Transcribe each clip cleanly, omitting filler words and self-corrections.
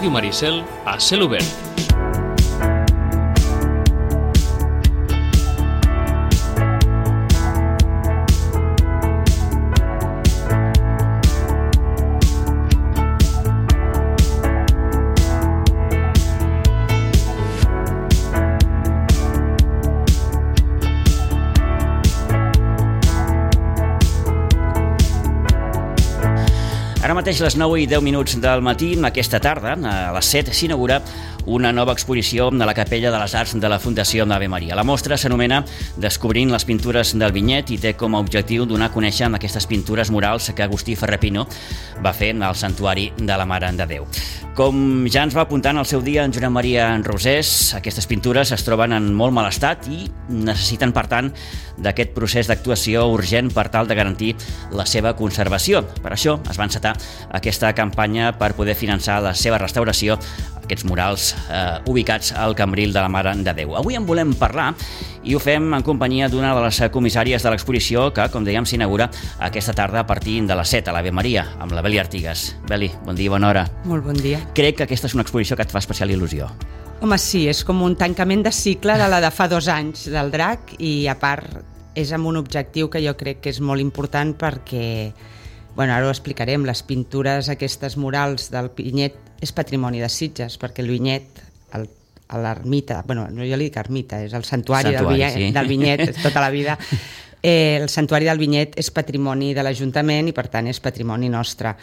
Ràdio Maricel a cel obert. Ara mateix les 9 i 10 minuts del matí, aquesta tarda, a les 7, s'inaugura una nova exposició a la Capella de les Arts de la Fundació Ave Maria. La mostra s'anomena Descobrint les pintures del Vinyet i té com a objectiu donar a conèixer aquestes pintures murals que Agustí Ferrer-Pino va fer al Santuari de la Mare de Déu. Com ja ens va apuntar en el seu dia en Josep Maria Rosés, aquestes pintures es troben en molt mal estat i necessiten, per tant, d'aquest procés d'actuació urgent per tal de garantir la seva conservació. Per això es va encetar aquesta campanya per poder finançar la seva restauració, aquests murals ubicats al Cambril de la Mare de Déu. Avui en volem parlar i ho fem en companyia d'una de les comissàries de l'exposició que, com dèiem, s'inaugura aquesta tarda a partir de les 7 a l'Ave Maria, amb la Beli Artigas. Beli, bon dia, bona hora. Molt bon dia. Crec que aquesta és una exposició que et fa especial il·lusió. Home, sí, és com un tancament de cicle de la de fa 2 anys del DRAC i, a part, és amb un objectiu que jo crec que és molt important perquè, bueno, ara ho explicarem, les pintures aquestes murals del Vinyet és patrimoni de Sitges, perquè el Vinyet, a l'ermita, bueno, no jo li dic ermita, és el santuari del Vinyet tota la vida. El santuari del Vinyet és patrimoni de l'Ajuntament i, per tant, és patrimoni nostre.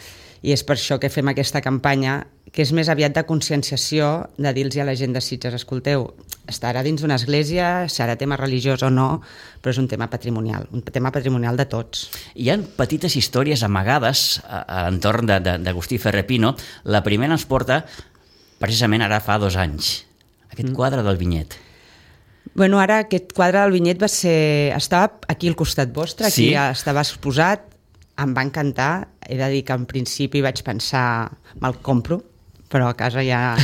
I és per això que fem aquesta campanya, que és més aviat de conscienciació, de dir-los a la gent de Sitges, escolteu, estarà dins d'una església, serà tema religiós o no, però és un tema patrimonial de tots. Hi ha petites històries amagades a l'entorn d'Agustí Ferrer-Pino. La primera ens porta precisament ara fa 2 anys. Aquest quadre del Vinyet. Bueno, ara aquest quadre del Vinyet estava aquí al costat vostre, aquí sí? Estava exposat, em va encantar, he de dir que en principi vaig pensar, me'l compro, però a casa ja...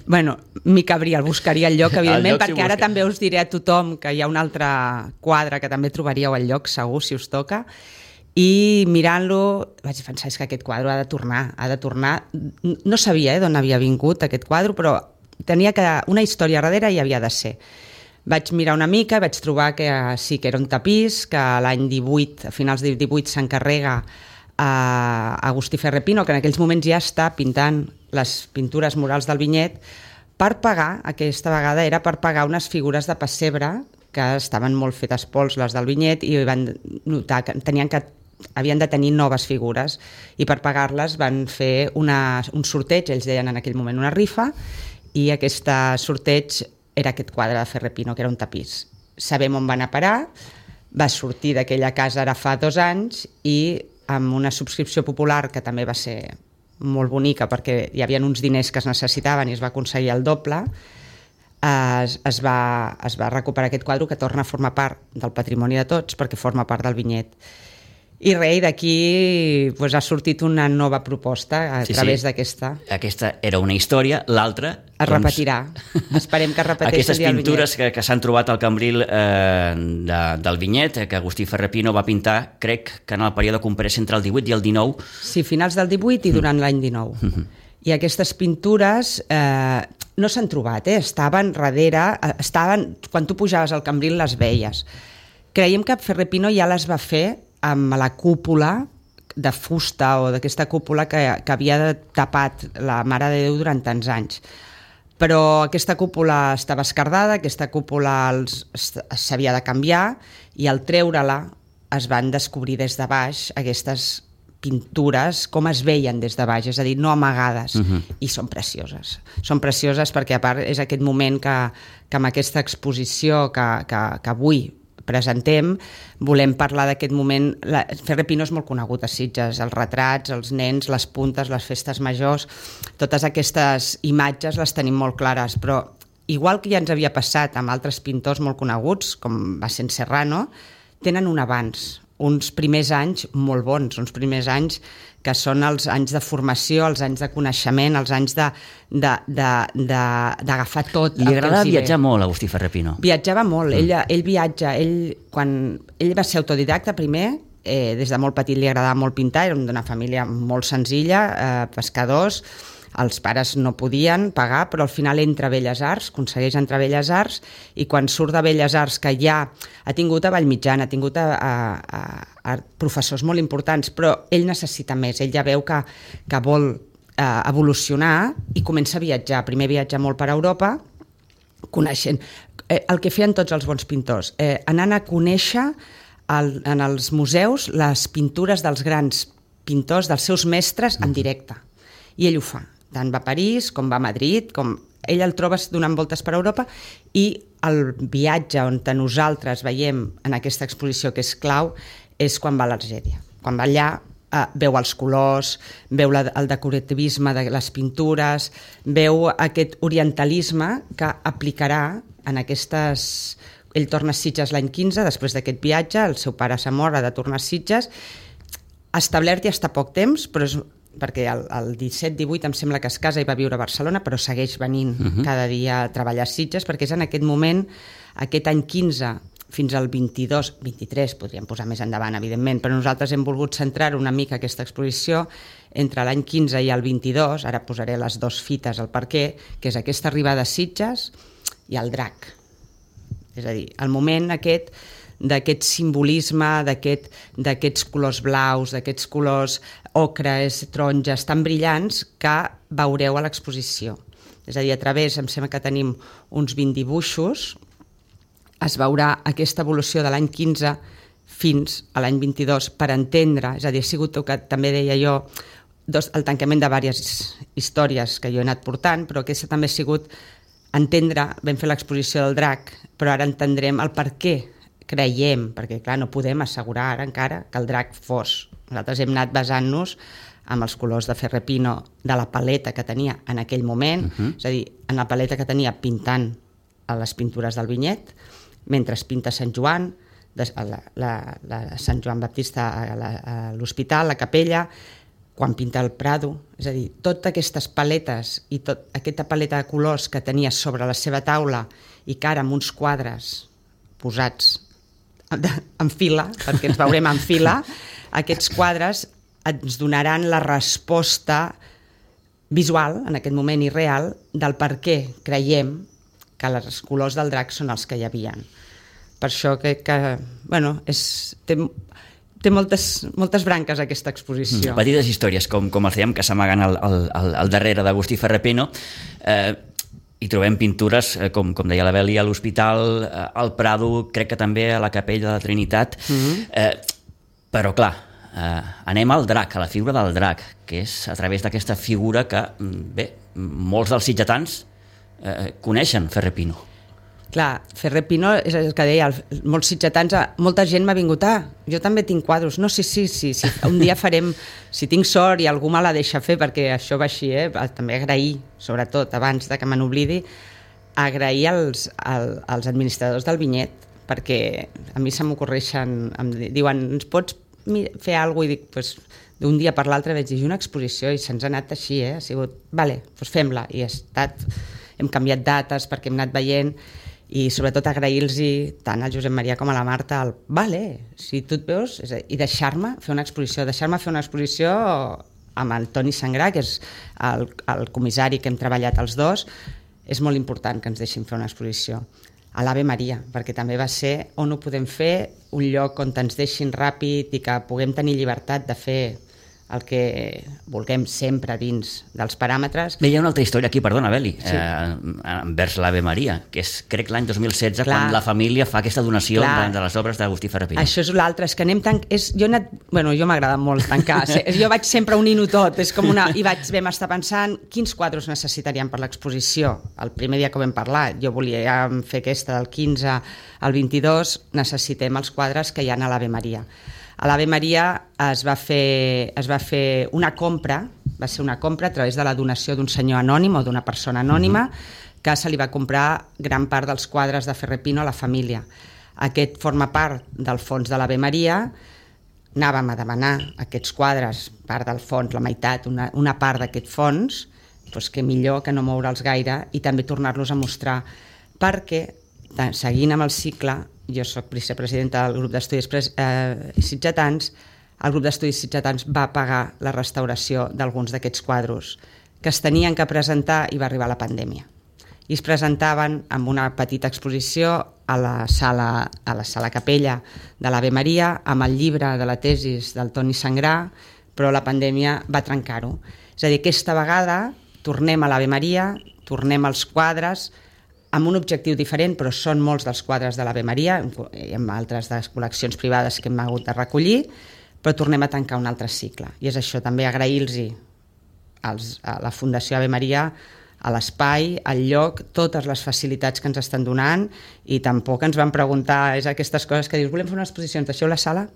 bueno, m'hi cabria, el buscaria al lloc, evidentment, perquè ara també us diré a tothom que hi ha un altre quadre que també trobaríeu al lloc, segur, si us toca, i mirant-lo vaig pensar, és que aquest quadre ha de tornar. No sabia d'on havia vingut aquest quadre, però tenia una història darrere i havia de ser. Vaig mirar una mica, vaig trobar que sí que era un tapís, que l'any 18, a finals del 18, s'encarrega a Agustí Ferrer-Pino, que en aquells moments ja està pintant les pintures murals del Vinyet, per pagar, aquesta vegada era per pagar unes figures de pessebre que estaven molt fetes pols, les del Vinyet, i van notar que havien de tenir noves figures, i per pagar-les van fer un sorteig, ells deien en aquell moment una rifa, i aquest sorteig era aquest quadre de Ferrer-Pino, que era un tapís. Sabem on va anar a parar, va sortir d'aquella casa ara fa 2 anys i amb una subscripció popular que també va ser molt bonica perquè hi havia uns diners que es necessitaven i es va aconseguir el doble, es va recuperar aquest quadre que torna a formar part del patrimoni de tots perquè forma part del Vinyet. I res, d'aquí ha sortit una nova proposta a través d'aquesta. Aquesta era una història, l'altra... Es repetirà. Esperem que es repeteixi aquestes pintures que s'han trobat al Cambril del Vinyet, que Agustí Ferrer-Pino va pintar, crec que en el període comprès entre el 18 i el 19. Sí, finals del 18 i durant l'any 19. I aquestes pintures no s'han trobat, estaven darrere, quan tu pujaves al Cambril les veies. Creiem que Ferrer-Pino ja les va fer amb la cúpula de fusta o d'aquesta cúpula que havia tapat la Mare de Déu durant tants anys. Però aquesta cúpula estava esquerdada, aquesta cúpula s'havia de canviar i al treure-la es van descobrir des de baix aquestes pintures, com es veien des de baix, és a dir, no amagades, i són precioses. Són precioses perquè, a part, és aquest moment que amb aquesta exposició que avui presentem, volem parlar d'aquest moment. Ferrer-Pino és molt conegut a Sitges, els retrats, els nens, les puntes, les festes majors, totes aquestes imatges les tenim molt clares, però igual que ja ens havia passat amb altres pintors molt coneguts, com va ser en Serrano, tenen un abans, uns primers anys molt bons, uns primers anys que són els anys de formació, els anys de coneixement, els anys d'agafar tot. Li agradava viatjar molt a Agustí Ferrer-Pino. Viatjava molt, ell viatja, quan ell va ser autodidacta primer, des de molt petit li agradava molt pintar, era d'una família molt senzilla, pescadors. Els pares no podien pagar, però al final entra a Belles Arts, aconsegueix entrar a Belles Arts, i quan surt de Belles Arts, que ja ha tingut a Vallmitjana, ha tingut a professors molt importants, però ell necessita més, ell ja veu que vol evolucionar i comença a viatjar. Primer viatja molt per Europa, coneixent el que feien tots els bons pintors, anant a conèixer en els museus les pintures dels grans pintors, dels seus mestres en directe, i ell ho fa, tant va a París com va a Madrid, ell el trobes donant voltes per Europa, i el viatge on nosaltres veiem en aquesta exposició que és clau és quan va a l'Argèlia, quan va allà veu els colors, veu el decorativisme de les pintures, veu aquest orientalisme que aplicarà en aquestes... Ell torna a Sitges l'any 15, després d'aquest viatge, el seu pare se mor, ha de tornar a Sitges, establert ja està poc temps, però és perquè el 17-18 em sembla que es casa i va viure a Barcelona, però segueix venint cada dia a treballar a Sitges, perquè és en aquest moment, aquest any 15, fins al 22, 23, podríem posar més endavant, evidentment, però nosaltres hem volgut centrar una mica aquesta exposició entre l'any 15 i el 22, ara posaré les dues fites al perquè, que és aquesta arribada a Sitges i el drac. És a dir, el moment d'aquest simbolisme, d'aquests colors blaus, d'aquests colors ocres, taronges, tan brillants que veureu a l'exposició. És a dir, a través, em sembla que tenim uns 20 dibuixos, es veurà aquesta evolució de l'any 15 fins a l'any 22 per entendre, és a dir, ha sigut el que també deia jo, el tancament de diverses històries que jo he anat portant, però aquesta també ha sigut entendre, vam fer l'exposició del drac, però ara entendrem el per què creiem, perquè clar, no podem assegurar ara encara que el drac fos. Nosaltres hem anat basant-nos amb els colors de Ferrer Pino de la paleta que tenia en aquell moment, és a dir, en la paleta que tenia pintant a les pintures del vinyet, mentre es pinta Sant Joan, Sant Joan Baptista a l'hospital, la capella, quan pinta el Prado, és a dir, totes aquestes paletes i aquesta paleta de colors que tenia sobre la seva taula i que ara amb uns quadres posats en fila, perquè ens veurem en fila, aquests quadres ens donaran la resposta visual, en aquest moment i real, del per què creiem que els colors del drac són els que hi havia. Per això que bueno, té moltes branques aquesta exposició. Petites històries, com els dèiem, que s'amaguen al darrere d'Agustí Ferrer Pino. Hi trobem pintures, com deia la Beli, a l'hospital, al Prado, crec que també a la Capella de la Trinitat. Però, clar, anem al drac, a la figura del drac, que és a través d'aquesta figura que, bé, molts dels sitgetans coneixen Ferrer Pino. Clar, Ferrer Pino és el que deia, molts sitgetans, molta gent m'ha vingut, jo també tinc quadros, no, sí, un dia farem, si tinc sort i algú me la deixa fer, perquè això va així, també agrair, sobretot, abans de que me n'oblidi, agrair als administradors del vinyet, perquè a mi se m'ocorreixen, em diuen, ens pots fer alguna cosa? I dic, doncs, d'un dia per l'altre vaig dir una exposició i se'ns ha anat així, ha sigut, vale, doncs fem-la, i hem canviat dates perquè hem anat veient, i sobretot agrair-los tant al Josep Maria com a la Marta vale, si tu et veus, i deixar-me fer una exposició amb el Toni Sangrà, que és el comissari que hem treballat els dos. És molt important que ens deixin fer una exposició a l'Ave Maria, perquè també va ser on ho podem fer, un lloc on ens deixin ràpid i que puguem tenir llibertat de fer el que vulguem sempre dins dels paràmetres. Bé, hi ha una altra història aquí, perdona, Beli, envers l'Ave Maria, que és, crec, l'any 2016, quan la família fa aquesta donació de les obres d'Agustí Ferrer Pino. Això és l'altre, és que anem tan... Jo m'agrada molt tancar, jo vaig sempre unint-ho tot, és com una... I vam estar pensant quins quadres necessitaríem per l'exposició. El primer dia que vam parlar, jo volia fer aquesta del 15 al 22, necessitem els quadres que hi ha a l'Ave Maria. A l'Ave Maria es va fer una compra, va ser una compra a través de la donació d'un senyor anònim o d'una persona anònima, que se li va comprar gran part dels quadres de Ferrer Pino a la família. Aquest forma part del fons de l'Ave Maria. Anàvem a demanar aquests quadres, part del fons, la meitat, una part d'aquest fons, doncs que millor que no moure'ls gaire i també tornar-los a mostrar, perquè seguint amb el cicle, jo soc vicepresidenta del grup d'estudis sitgetans, el grup d'estudis sitgetans va pagar la restauració d'alguns d'aquests quadros que es tenien que presentar i va arribar la pandèmia. I es presentaven amb una petita exposició a la sala capella de l'Ave Maria, amb el llibre de la tesis del Toni Sangrà, però la pandèmia va trencar-ho. És a dir, aquesta vegada tornem a l'Ave Maria, tornem als quadres, amb un objectiu diferent, però són molts dels quadres de l'Ave Maria, i amb altres de col·leccions privades que hem hagut de recollir, però tornem a tancar un altre cicle. I és això, també agrair-los a la Fundació Ave Maria, a l'espai, al lloc, totes les facilitats que ens estan donant, i tampoc ens van preguntar, és aquestes coses que dius, volem fer una exposició, ens deixeu la sala?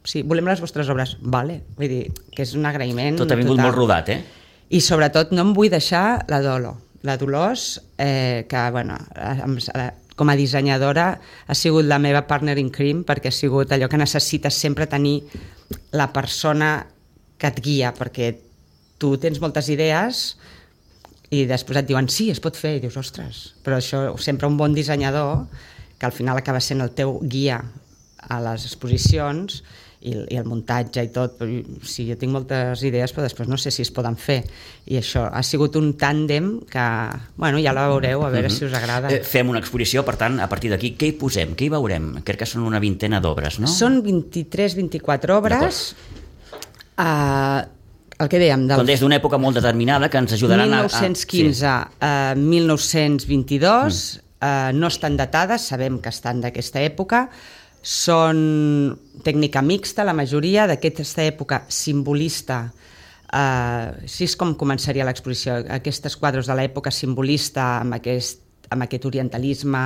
Sí, volem les vostres obres? Vale. Vull dir, que és un agraïment tot ha vingut total. Molt rodat, I sobretot no em vull deixar la Dolors, que bueno, com a dissenyadora ha sigut la meva partner in crime, perquè ha sigut allò que necessites sempre tenir la persona que et guia, perquè tu tens moltes idees i després et diuen sí, es pot fer, i dius, ostres, però això sempre un bon dissenyador, que al final acaba sent el teu guia a les exposicions i el muntatge i tot. Sí, jo tinc moltes idees, però després no sé si es poden fer, i això ha sigut un tàndem que, bueno, ja la veureu, a veure si us agrada. Fem una exposició, per tant, a partir d'aquí, què hi posem? Què hi veurem? Crec que són una vintena d'obres, no? Són 23-24 obres. El que dèiem... Són des d'una època molt determinada que ens ajudaran 1915 a 1922, no estan datades, sabem que estan d'aquesta època, són tècnica mixta, la majoria d'aquesta època simbolista. Així és com començaria l'exposició, aquests quadres de l'època simbolista, amb aquest orientalisme,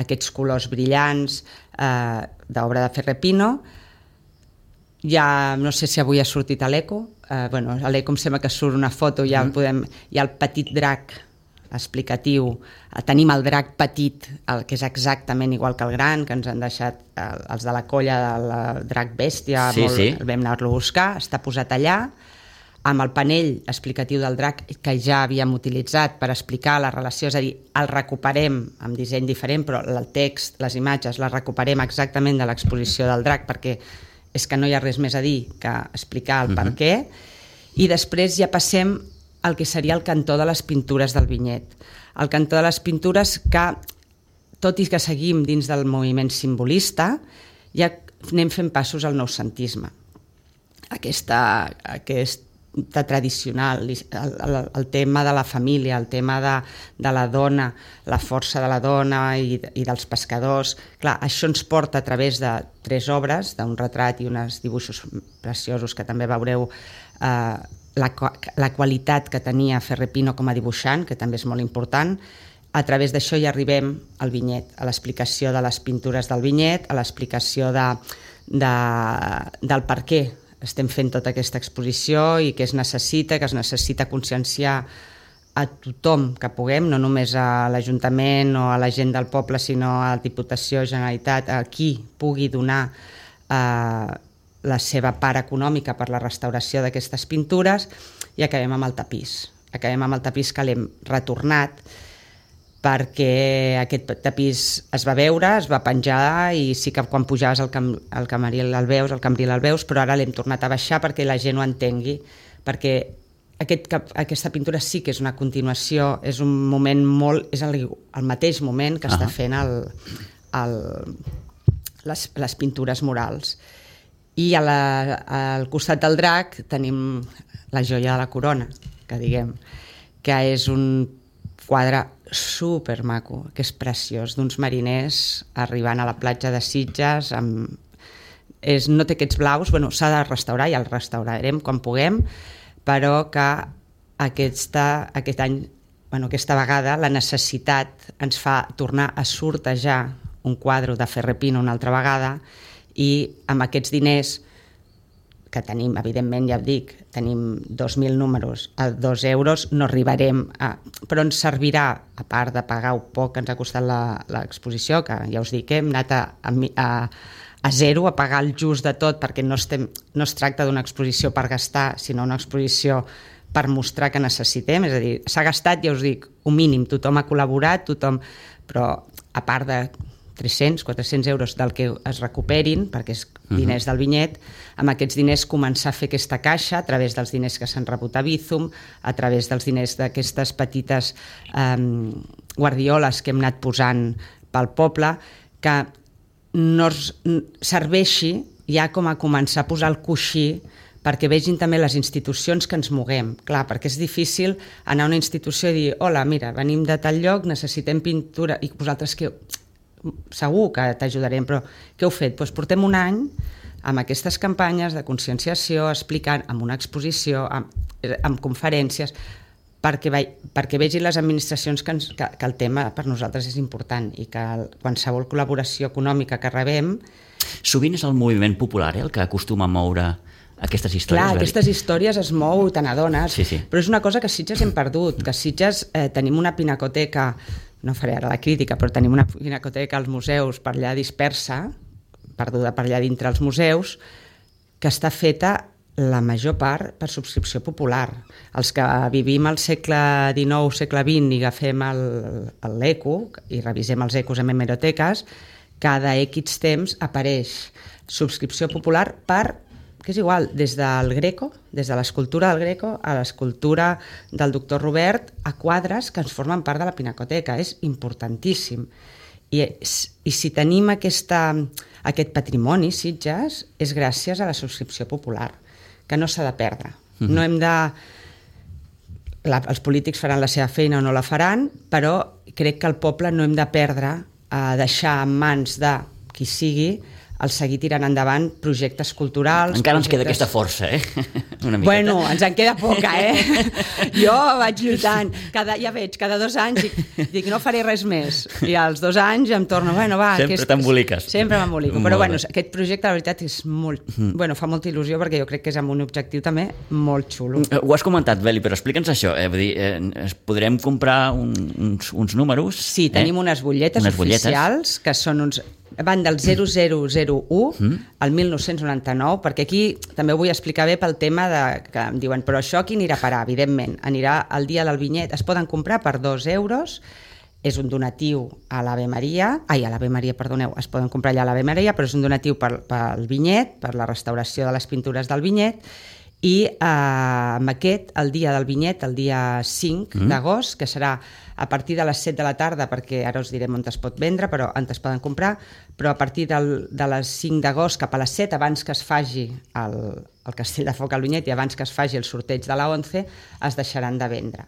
aquests colors brillants, d'obra de Ferrer Pino. Ja no sé si avui ha sortit a l'Eco, a l'Eco em sembla que surt una foto, hi ha el petit drac explicatiu, tenim el drac petit, que és exactament igual que el gran, que ens han deixat els de la colla del drac bèstia, vam anar-lo a buscar, està posat allà, amb el panell explicatiu del drac que ja havíem utilitzat per explicar la relació, és a dir, el recuperem amb disseny diferent, però el text, les imatges, les recuperem exactament de l'exposició del drac, perquè és que no hi ha res més a dir que explicar el per què, i després ja passem al que seria el cantó de les pintures del vinyet. El cantó de les pintures que, tot i que seguim dins del moviment simbolista, ja anem fent passos al noucentisme. Aquesta tradicional, el tema de la família, el tema de la dona, la força de la dona i dels pescadors. Clar, això ens porta a través de 3 obres, d'un retrat i uns dibuixos preciosos que també veureu, la qualitat que tenia Ferrer Pino com a dibuixant, que també és molt important. A través d'això ja arribem al vinyet, a l'explicació de les pintures del vinyet, a l'explicació del per què estem fent tota aquesta exposició i què es necessita conscienciar a tothom que puguem, no només a l'Ajuntament o a la gent del poble, sinó a la Diputació, Generalitat, a qui pugui donar la seva part econòmica per la restauració d'aquestes pintures, i acabem amb el tapís. Acabem amb el tapís que l'hem retornat, perquè aquest tapís es va veure, es va penjar, i sí que quan pujaves al Cambril el veus, però ara l'hem tornat a baixar perquè la gent ho entengui, perquè aquesta pintura sí que és una continuació, és un moment és el mateix moment que està fent les pintures murals. I al costat del drac tenim la joia de la corona, que diguem, que és un quadre supermaco, que és preciós, d'uns mariners arribant a la platja de Sitges, no té aquests blaus, s'ha de restaurar, ja el restaurarem quan puguem, però que aquest any, aquesta vegada, la necessitat ens fa tornar a sortejar un quadre de Ferrer Pino una altra vegada, i amb aquests diners que tenim, evidentment, ja ho dic, tenim 2.000 números a 2 euros, no arribarem però ens servirà, a part de pagar un poc que ens ha costat l'exposició, que ja us dic, hem anat a zero, a pagar el just de tot, perquè no es tracta d'una exposició per gastar, sinó una exposició per mostrar que necessitem, és a dir, s'ha gastat, ja us dic, un mínim, tothom ha col·laborat, però a part de 300, 400 euros del que es recuperin, perquè és diners del vinyet, amb aquests diners començar a fer aquesta caixa a través dels diners que s'han rebut a Bizum, a través dels diners d'aquestes petites guardioles que hem anat posant pel poble, que no serveixi ja com a començar a posar el coixí perquè vegin també les institucions que ens moguem. Clar, perquè és difícil anar a una institució i dir, hola, mira, venim de tal lloc, necessitem pintura, i vosaltres que segur que t'ajudarem, però què heu fet? Doncs portem un any amb aquestes campanyes de conscienciació, explicant amb una exposició, amb conferències, perquè vegin les administracions que el tema per nosaltres és important i que qualsevol col·laboració econòmica que rebem... Sovint és el moviment popular el que acostuma a moure aquestes històries. Clar, aquestes històries es mou, te n'adones, sí. Però és una cosa que a Sitges hem perdut, que a Sitges tenim una pinacoteca, no faré ara la crítica, però tenim una pinacoteca als museus per allà dispersa, perduda per allà dintre els museus, que està feta la major part per subscripció popular. Els que vivim al segle XIX, segle XX i agafem l'eco i revisem els ecos en hemeroteques, cada X temps apareix subscripció popular que és igual, des del Greco, des de l'escultura del Greco a l'escultura del doctor Robert, a quadres que ens formen part de la pinacoteca. És importantíssim. I si tenim aquest patrimoni, Sitges, és gràcies a la subscripció popular, que no s'ha de perdre. No hem de... Els polítics faran la seva feina o no la faran, però crec que el poble no hem de perdre, a deixar en mans de qui sigui, el seguir tirant endavant projectes culturals... Encara ens queda aquesta força, Una miqueta. Bueno, ens en queda poca, Jo vaig lluitant. Ja veig, cada 2 anys dic, no faré res més. I als 2 anys em torno, va... Sempre t'emboliques. Sempre m'embolico. Però aquest projecte, la veritat, és molt... fa molta il·lusió perquè jo crec que és amb un objectiu també molt xulo. Ho has comentat, Beli, però explica'ns això. Vull dir, podrem comprar uns números? Sí, tenim unes butlletes oficials, que són uns... Van del 0001 al 1999, perquè aquí també ho vull explicar bé pel tema que em diuen, però això aquí anirà a parar, evidentment. Anirà al dia del vinyet, es poden comprar per 2 euros, és un donatiu a l'Ave Maria, perdoneu, es poden comprar allà a l'Ave Maria, però és un donatiu pel vinyet, per la restauració de les pintures del vinyet, i amb aquest, el dia del vinyet, el dia 5 d'agost, que serà a partir de les 7 de la tarda, perquè ara us direm on es pot vendre, però on es poden comprar, però a partir de les 5 d'agost cap a les 7, abans que es faci el Castell de Foc al vinyet i abans que es faci el sorteig de la 11, es deixaran de vendre.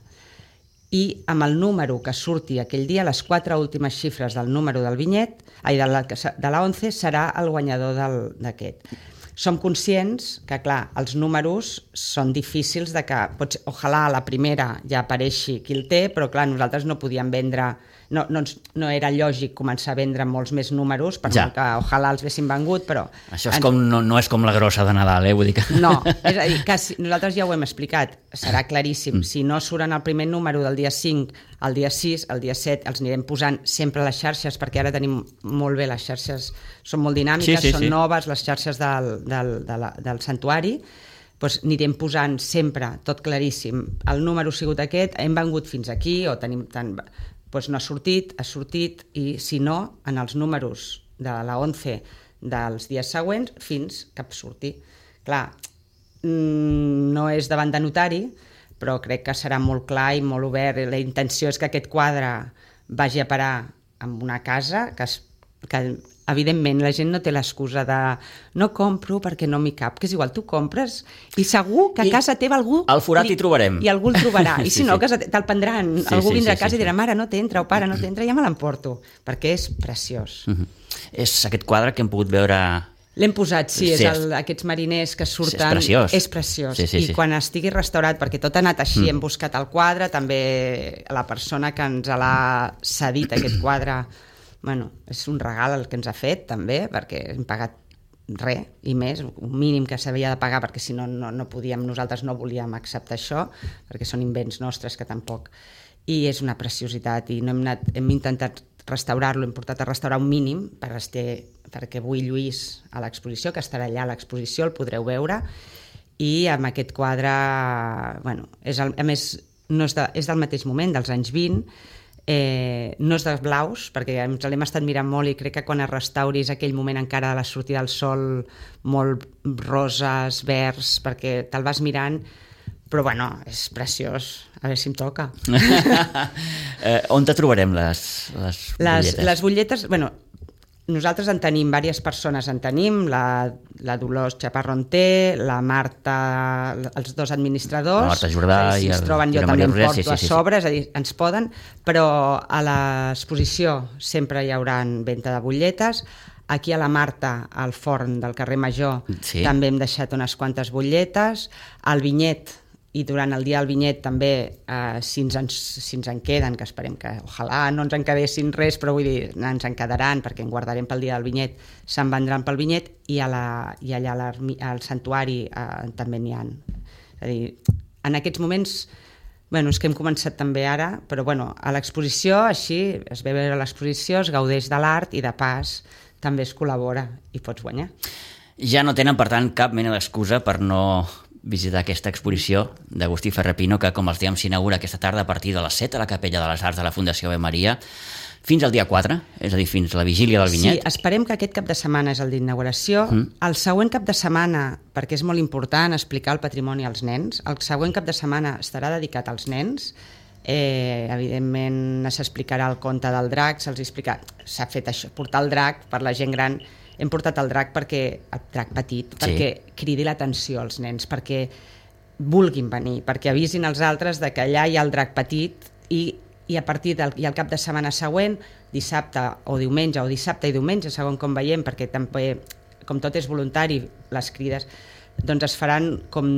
I amb el número que surti aquell dia, les 4 últimes xifres del número del vinyet, de la 11, serà el guanyador d'aquest. Som conscients que, clar, els números són difícils de que, ojalà la primera ja apareixi qui el té, però clar, nosaltres no podíem vendre, no era lògic començar a vendre molts més números, per molt que ojalà els haguéssim vengut, però... Això és no és com la grossa de Nadal, vull dir que... No, és a dir, que nosaltres ja ho hem explicat, serà claríssim, si no suren el primer número del dia 5, el dia 6, el dia 7, els anirem posant sempre a les xarxes, perquè ara tenim molt bé les xarxes, són molt dinàmiques, són noves les xarxes del santuari, doncs anirem posant sempre, tot claríssim, el número ha sigut aquest, hem vengut fins aquí, o tenim tant... Doncs no ha sortit, i si no, en els números de la 11 dels dies següents, fins que surti. Clar, no és davant de notari, però crec que serà molt clar i molt obert. La intenció és que aquest quadre vagi a parar en una casa que evidentment la gent no té l'excusa de no compro perquè no m'hi cap, que és igual, tu compres i segur que a casa teva algú... Al forat hi trobarem. I algú el trobarà, i si no, te'l prendran, algú vindrà a casa i dirà, mare, no t'entra, o pare, no t'entra, ja me l'emporto, perquè és preciós. És aquest quadre que hem pogut veure... L'hem posat, sí, és aquests mariners que surten... És preciós. I quan estigui restaurat, perquè tot ha anat així, hem buscat el quadre, també la persona que ens l'ha cedit aquest quadre... Bueno, és un regal el que ens ha fet, també, perquè hem pagat res i més, un mínim que s'havia de pagar, perquè si no, no podíem, nosaltres no volíem acceptar això, perquè són invents nostres que tampoc... I és una preciositat, i no hem intentat restaurar-lo, hem portat a restaurar un mínim perquè vull Lluís a l'exposició, que estarà allà a l'exposició, el podreu veure, i amb aquest quadre, bueno, a més, és del mateix moment, dels anys 20, no és de blaus, perquè ens l'hem estat mirant molt i crec que quan es restauri és aquell moment encara de la sortida del sol, molt roses, verds, perquè te'l vas mirant, però bueno, és preciós, a veure si em toca. On te trobarem les butlletes? Les butlletes, bueno, nosaltres en tenim, diverses persones en tenim, la Dolors Chaparrón té, la Marta, els dos administradors, la Marta Jordà si es troben jo també em porto a sobre, és a dir, ens poden, però a l'exposició sempre hi haurà venda de butlletes. Aquí a la Marta, al forn del carrer Major, també hem deixat unes quantes butlletes. Al Vinyet, i durant el dia del Vinyet també, si ens en queden, que esperem que ojalà no ens en quedessin res, però vull dir, ens en quedaran perquè en guardarem pel dia del Vinyet, se'n vendran pel Vinyet, i allà al santuari també n'hi ha. És a dir, en aquests moments, bueno, és que hem començat també ara, però bueno, a l'exposició, així, es ve a veure l'exposició, es gaudeix de l'art i de pas també es col·labora i pots guanyar. Ja no tenen, per tant, cap mena d'excusa per no visitar aquesta exposició d'Agustí Ferrer Pino, que, com els dèiem, s'inaugura aquesta tarda a partir de les 7 a la Capella de les Arts de la Fundació Ave Maria, fins al dia 4, és a dir, fins a la vigília del Vinyet. Sí, esperem que aquest cap de setmana és el d'inauguració. El següent cap de setmana, perquè és molt important explicar el patrimoni als nens, el següent cap de setmana estarà dedicat als nens. Evidentment s'explicarà el conte del drac, s'ha fet això, portar el drac per la gent gran. Hem portat el drac el drac petit, perquè cridi l'atenció als nens, perquè vulguin venir, perquè avisin els altres de que allà hi ha el drac petit i a partir del cap de setmana següent, dissabte o diumenge, o dissabte i diumenge, segons com veiem, perquè també, com tot és voluntari, les crides, doncs es faran com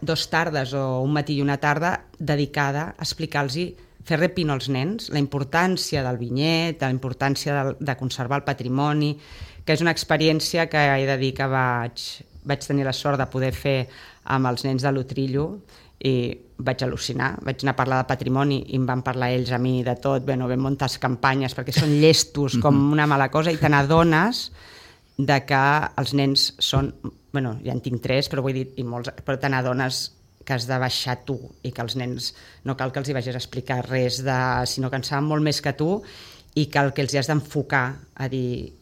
2 tardes o un matí i una tarda dedicada a explicar-los Ferrer Pino als nens, la importància del Vinyet, la importància de conservar el patrimoni, que és una experiència que he de dir que vaig tenir la sort de poder fer amb els nens de l'Utrillo i vaig al·lucinar, vaig anar a parlar de patrimoni i em van parlar ells a mi de tot, vam muntar campanyes perquè són llestos com una mala cosa i te n'adones de que els nens són, bueno, ja en tinc 3, però vull dir, però te n'adones que has de baixar tu i que els nens no cal que els hi vagis a explicar res, sinó que en saben molt més que tu i que el que els hi has d'enfocar a dir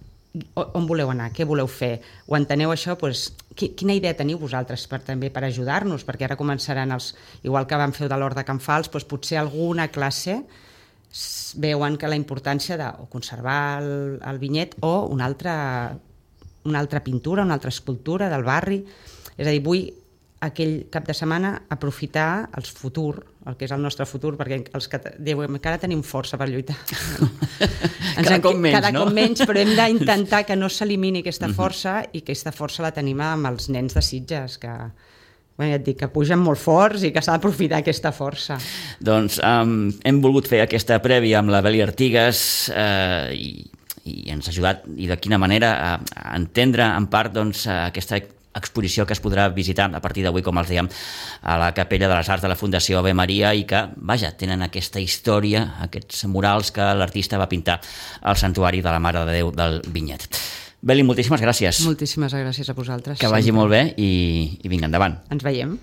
on voleu anar, què voleu fer, ho enteneu això? Doncs, quina idea teniu vosaltres també per ajudar-nos? Perquè ara començaran igual que vam fer de l'Hort de Can Fals, doncs potser alguna classe veuen que la importància de conservar el Vinyet o una altra pintura, una altra escultura del barri. És a dir, vull aquell cap de setmana aprofitar el futur, el que és el nostre futur, perquè els que encara tenim força per lluitar. Cada cop menys, però hem d'intentar que no s'elimini aquesta força i que aquesta força la tenim amb els nens de Sitges, que ja et dic, que pugen molt forts i que s'ha d'aprofitar aquesta força. Doncs hem volgut fer aquesta prèvia amb la Beli Artigas i ens ha ajudat, i de quina manera, a entendre en part aquesta exposició que es podrà visitar a partir d'avui, com els dèiem, a la Capella de les Arts de la Fundació Ave Maria i que, vaja, tenen aquesta història, aquests murals que l'artista va pintar al Santuari de la Mare de Déu del Vinyet. Beli, moltíssimes gràcies. Moltíssimes gràcies a vosaltres. Que vagi molt bé i vinga, endavant. Ens veiem.